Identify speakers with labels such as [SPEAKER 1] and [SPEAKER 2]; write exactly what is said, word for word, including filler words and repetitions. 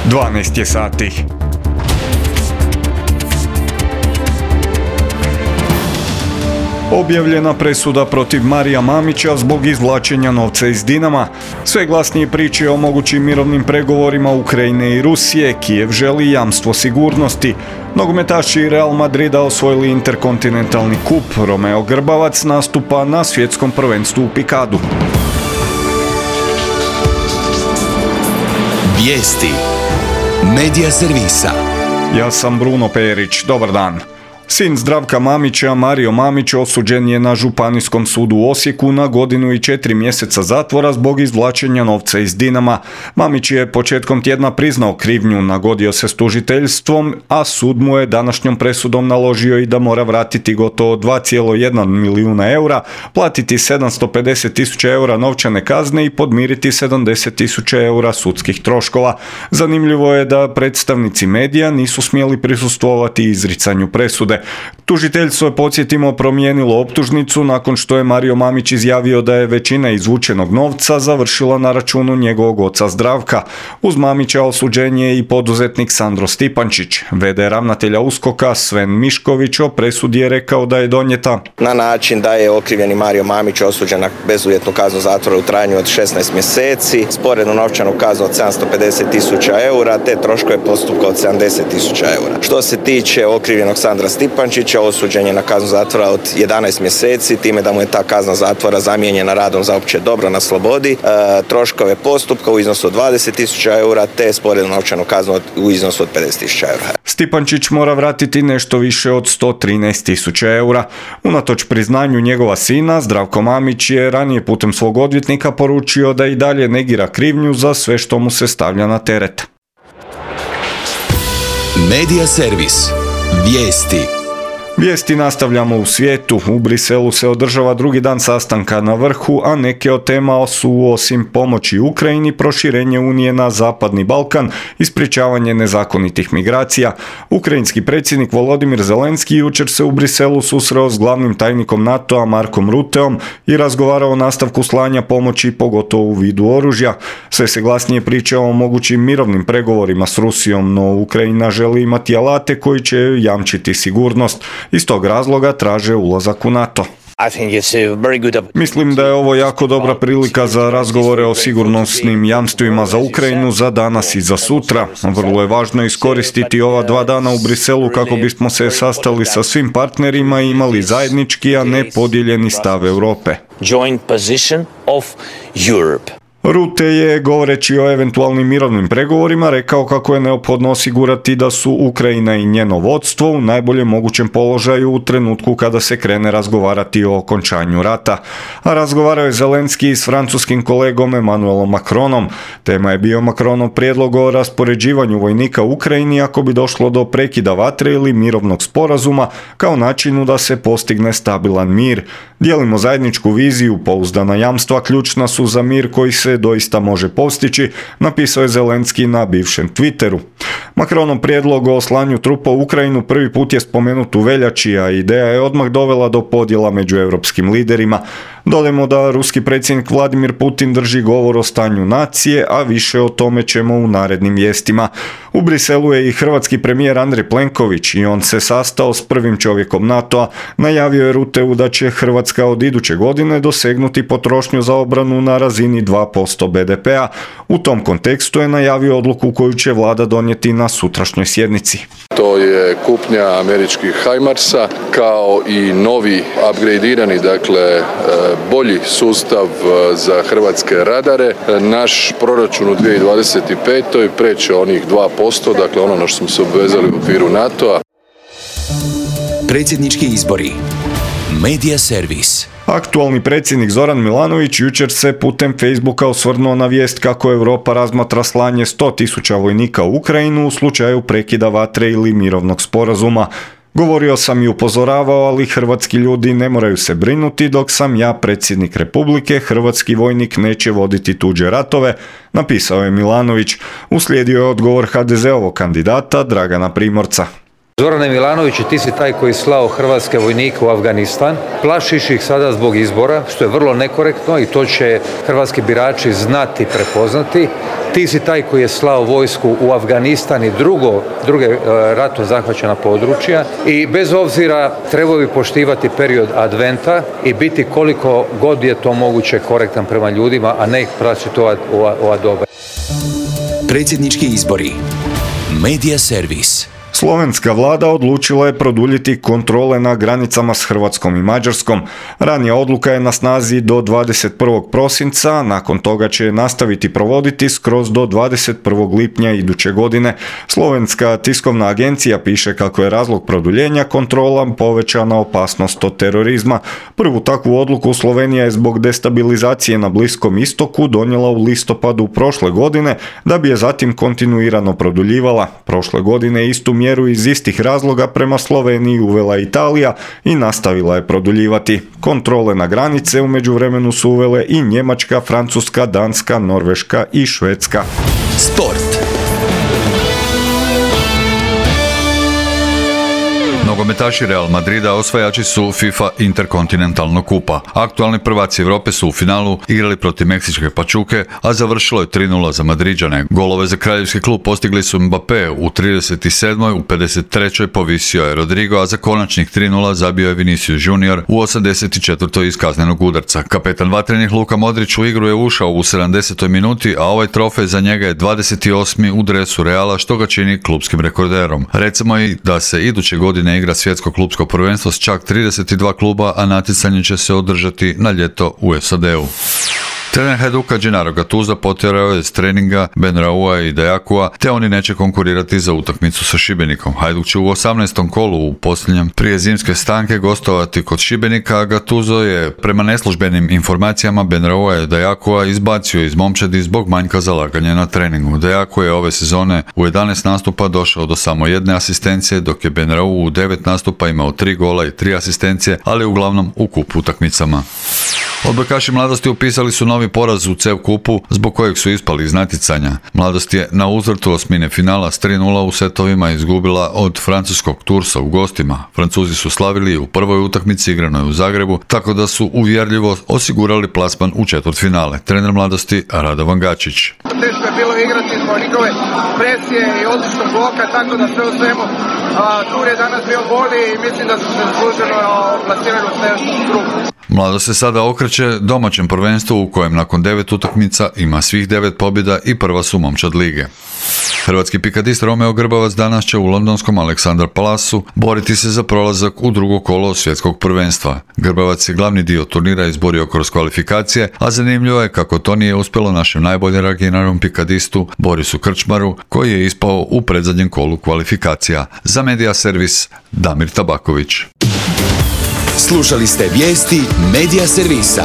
[SPEAKER 1] dvanaest je sati. Objavljena presuda protiv Marija Mamića zbog izvlačenja novca iz Dinama. Sve glasnije priče o mogućim mirovnim pregovorima Ukrajine i Rusije. Kijev želi jamstvo sigurnosti. Nogometaši Real Madrida osvojili interkontinentalni kup. Romeo Grbavac nastupa na svjetskom prvenstvu u pikadu.
[SPEAKER 2] Vijesti Medija servisa.
[SPEAKER 1] Ja sam Bruno Perić. Dobar dan. Sin Zdravka Mamića, Mario Mamić, osuđen je na Županijskom sudu u Osijeku na godinu i četiri mjeseca zatvora zbog izvlačenja novca iz Dinama. Mamić je početkom tjedna priznao krivnju, nagodio se s tužiteljstvom, a sud mu je današnjom presudom naložio i da mora vratiti gotovo dva zarez jedan milijuna eura, platiti sedamsto pedeset tisuća eura novčane kazne i podmiriti sedamdeset tisuća eura sudskih troškova. Zanimljivo je da predstavnici medija nisu smjeli prisustvovati izricanju presude. Tužiteljstvo je, podsjetimo, promijenilo optužnicu nakon što je Mario Mamić izjavio da je većina izvučenog novca završila na računu njegovog oca Zdravka. Uz Mamića osuđen je i poduzetnik Sandro Stipančić. ve de ravnatelja USKOK-a Sven Mišković o presudi je rekao da je donijeta
[SPEAKER 3] na način da je okrivljeni Mario Mamić osuđen na bezuvjetnu kaznu zatvora u trajanju od šesnaest mjeseci, sporednu novčanu kaznu od sedamsto pedeset tisuća eura te troškove postupka od sedamdeset tisuća eura. Što se tiče okrivljenog Sandra Stipančića, osuđen je na kaznu zatvora od jedanaest mjeseci, time da mu je ta kazna zatvora zamijenjena radom za opće dobro na slobodi, e, troškove postupka u iznosu od dvadeset tisuća eura te sporednu novčanu kaznu u iznosu od pedeset tisuća eura.
[SPEAKER 1] Stipančić mora vratiti nešto više od sto trinaest tisuća eura. Unatoč priznanju njegova sina, Zdravko Mamić je ranije putem svog odvjetnika poručio da i dalje negira krivnju za sve što mu se stavlja na teret.
[SPEAKER 2] Medija servis. Vijesti.
[SPEAKER 1] Vijesti nastavljamo u svijetu. U Briselu se održava drugi dan sastanka na vrhu, a neke od tema su osim pomoći Ukrajini, proširenje Unije na Zapadni Balkan i sprječavanje nezakonitih migracija. Ukrajinski predsjednik Volodimir Zelenski jučer se u Briselu susreo s glavnim tajnikom NATO-a Markom Ruteom i razgovarao o nastavku slanja pomoći, pogotovo u vidu oružja. Sve se glasnije priča o mogućim mirovnim pregovorima s Rusijom, no Ukrajina želi imati alate koji će jamčiti sigurnost. Iz tog razloga traže ulazak u NATO. Mislim da je ovo jako dobra prilika za razgovore o sigurnosnim jamstvima za Ukrajinu za danas i za sutra. Vrlo je važno iskoristiti ova dva dana u Briselu kako bismo se sastali sa svim partnerima i imali zajednički, a ne podijeljeni stav Europe. Rute je, govoreći o eventualnim mirovnim pregovorima, rekao kako je neophodno osigurati da su Ukrajina i njeno vodstvo u najboljem mogućem položaju u trenutku kada se krene razgovarati o okončanju rata. A razgovarao je Zelenski s francuskim kolegom Emmanuelom Macronom. Tema je bio Macronov prijedlog o raspoređivanju vojnika u Ukrajini ako bi došlo do prekida vatre ili mirovnog sporazuma kao načinu da se postigne stabilan mir. Dijelimo zajedničku viziju, pouzdana jamstva ključna su za mir koji se doista može postići, napisao je Zelenski na bivšem Twitteru. Macronov prijedlog o slanju trupa u Ukrajinu prvi put je spomenut u veljači, a ideja je odmah dovela do podjela među europskim liderima. Dodajmo da ruski predsjednik Vladimir Putin drži govor o stanju nacije, a više o tome ćemo u narednim vijestima. U Briselu je i hrvatski premijer Andrej Plenković i on se sastao s prvim čovjekom NATO-a. Najavio je Ruteu da će Hrvatska od iduće godine dosegnuti potrošnju za obranu na razini dva posto be de pea. U tom kontekstu je najavio odluku koju će vlada donijeti na sutrašnjoj sjednici.
[SPEAKER 4] To je kupnja američkih Hajmarsa kao i novi upgradirani, dakle bolji sustav za hrvatske radare. Naš proračun u dvije tisuće dvadeset petoj preće onih dva posto, dakle ono na što smo se obvezali u okviru NATO-a.
[SPEAKER 2] Predsjednički izbori. Medija servis.
[SPEAKER 1] Aktualni predsjednik Zoran Milanović jučer se putem Facebooka osvrnuo na vijest kako Europa razmatra slanje sto tisuća vojnika u Ukrajinu u slučaju prekida vatre ili mirovnog sporazuma. Govorio sam i upozoravao, ali hrvatski ljudi ne moraju se brinuti, dok sam ja predsjednik Republike, hrvatski vojnik neće voditi tuđe ratove, napisao je Milanović. Uslijedio je odgovor ha de zeovog kandidata Dragana Primorca.
[SPEAKER 5] Zorane Milanoviću, ti si taj koji slao hrvatske vojnike u Afganistan, plašiš ih sada zbog izbora, što je vrlo nekorektno i to će hrvatski birači znati, prepoznati. Ti si taj koji je slao vojsku u Afganistan i drugo, druge ratom zahvaćena područja i bez obzira trebao bi poštivati period adventa i biti koliko god je to moguće korektan prema ljudima, a ne ih praćiti ova, ova, ova doba.
[SPEAKER 2] Predsjednički izbori. Medija servis.
[SPEAKER 1] Slovenska vlada odlučila je produljiti kontrole na granicama s Hrvatskom i Mađarskom. Ranija odluka je na snazi do dvadeset prvog prosinca, nakon toga će je nastaviti provoditi skroz do dvadeset prvog lipnja iduće godine. Slovenska tiskovna agencija piše kako je razlog produljenja kontrola povećana opasnost od terorizma. Prvu takvu odluku Slovenija je zbog destabilizacije na Bliskom istoku donijela u listopadu prošle godine, da bi je zatim kontinuirano produljivala. Prošle godine istu mjeru iz istih razloga prema Sloveniji uvela Italija i nastavila je produljivati. Kontrole na granice u međuvremenu su uvele i Njemačka, Francuska, Danska, Norveška i Švedska.
[SPEAKER 2] Sport.
[SPEAKER 6] Nogometaši Real Madrida osvajači su FIFA Interkontinentalnog kupa. Aktualni prvaci Europe su u finalu igrali protiv meksičke Pachuke, a završilo je tri nula za Madriđane. Golove za kraljevski klub postigli su Mbappé u trideset sedmoj, u pedeset trećoj povisio je Rodrigo, a za konačnih tri nula zabio je Vinicius Junior u osamdeset četvrtoj iz kaznenog udarca. Kapetan vatrenih Luka Modrić u igru je ušao u sedamdesetoj minuti, a ovaj trofej za njega je dvadeset osmi u dresu Reala, što ga čini klupskim rekorderom. Recimo i da se iduće godine igra svjetsko klupsko prvenstvo s čak trideset dva kluba, a natjecanje će se održati na ljeto u S A D-u. Trener Hajduka Gennaro Gattuso potjerao je s treninga Benraua i Dejakua, te oni neće konkurirati za utakmicu sa Šibenikom. Hajduk će u osamnaestom kolu u posljednjem prije zimske stanke gostovati kod Šibenika, a Gattuso je prema neslužbenim informacijama Benraua i Dejakua izbacio iz momčadi zbog manjka zalaganja na treningu. Dejakua je ove sezone u jedanaest nastupa došao do samo jedne asistencije, dok je Benraua u devet nastupa imao tri gola i tri asistencije, ali uglavnom u kup utakmicama. Odbojkaši Mladosti upisali su novi poraz u C E V kupu, zbog kojeg su ispali iz natjecanja. Mladost je na uzvrtu osmine finala s tri nula u setovima izgubila od francuskog Tursa u gostima. Francuzi su slavili u prvoj utakmici igranoj u Zagrebu, tako da su uvjerljivo osigurali plasman u četvrtfinale. Trener Mladosti Radovan Gačić.
[SPEAKER 7] Teško je bilo igrati zbog njihove presije i odličnog bloka, tako da sve u svemu Tur je danas bio bolji i mislim da su se zasluženo plasirali u sljedeću grupu.
[SPEAKER 6] Mladost se sada okreće domaćem prvenstvu u kojem nakon devet utakmica ima svih devet pobjeda i prva su momčad lige. Hrvatski pikadist Romeo Grbavac danas će u londonskom Aleksandar Palasu boriti se za prolazak u drugo kolo svjetskog prvenstva. Grbavac je glavni dio turnira izborio kroz kvalifikacije, a zanimljivo je kako to nije uspjelo našem najbolje rangiranom pikadistu Borisu Krčmaru, koji je ispao u predzadnjem kolu kvalifikacija. Za Medija servis Damir Tabaković.
[SPEAKER 2] Slušali ste vijesti Medija servisa.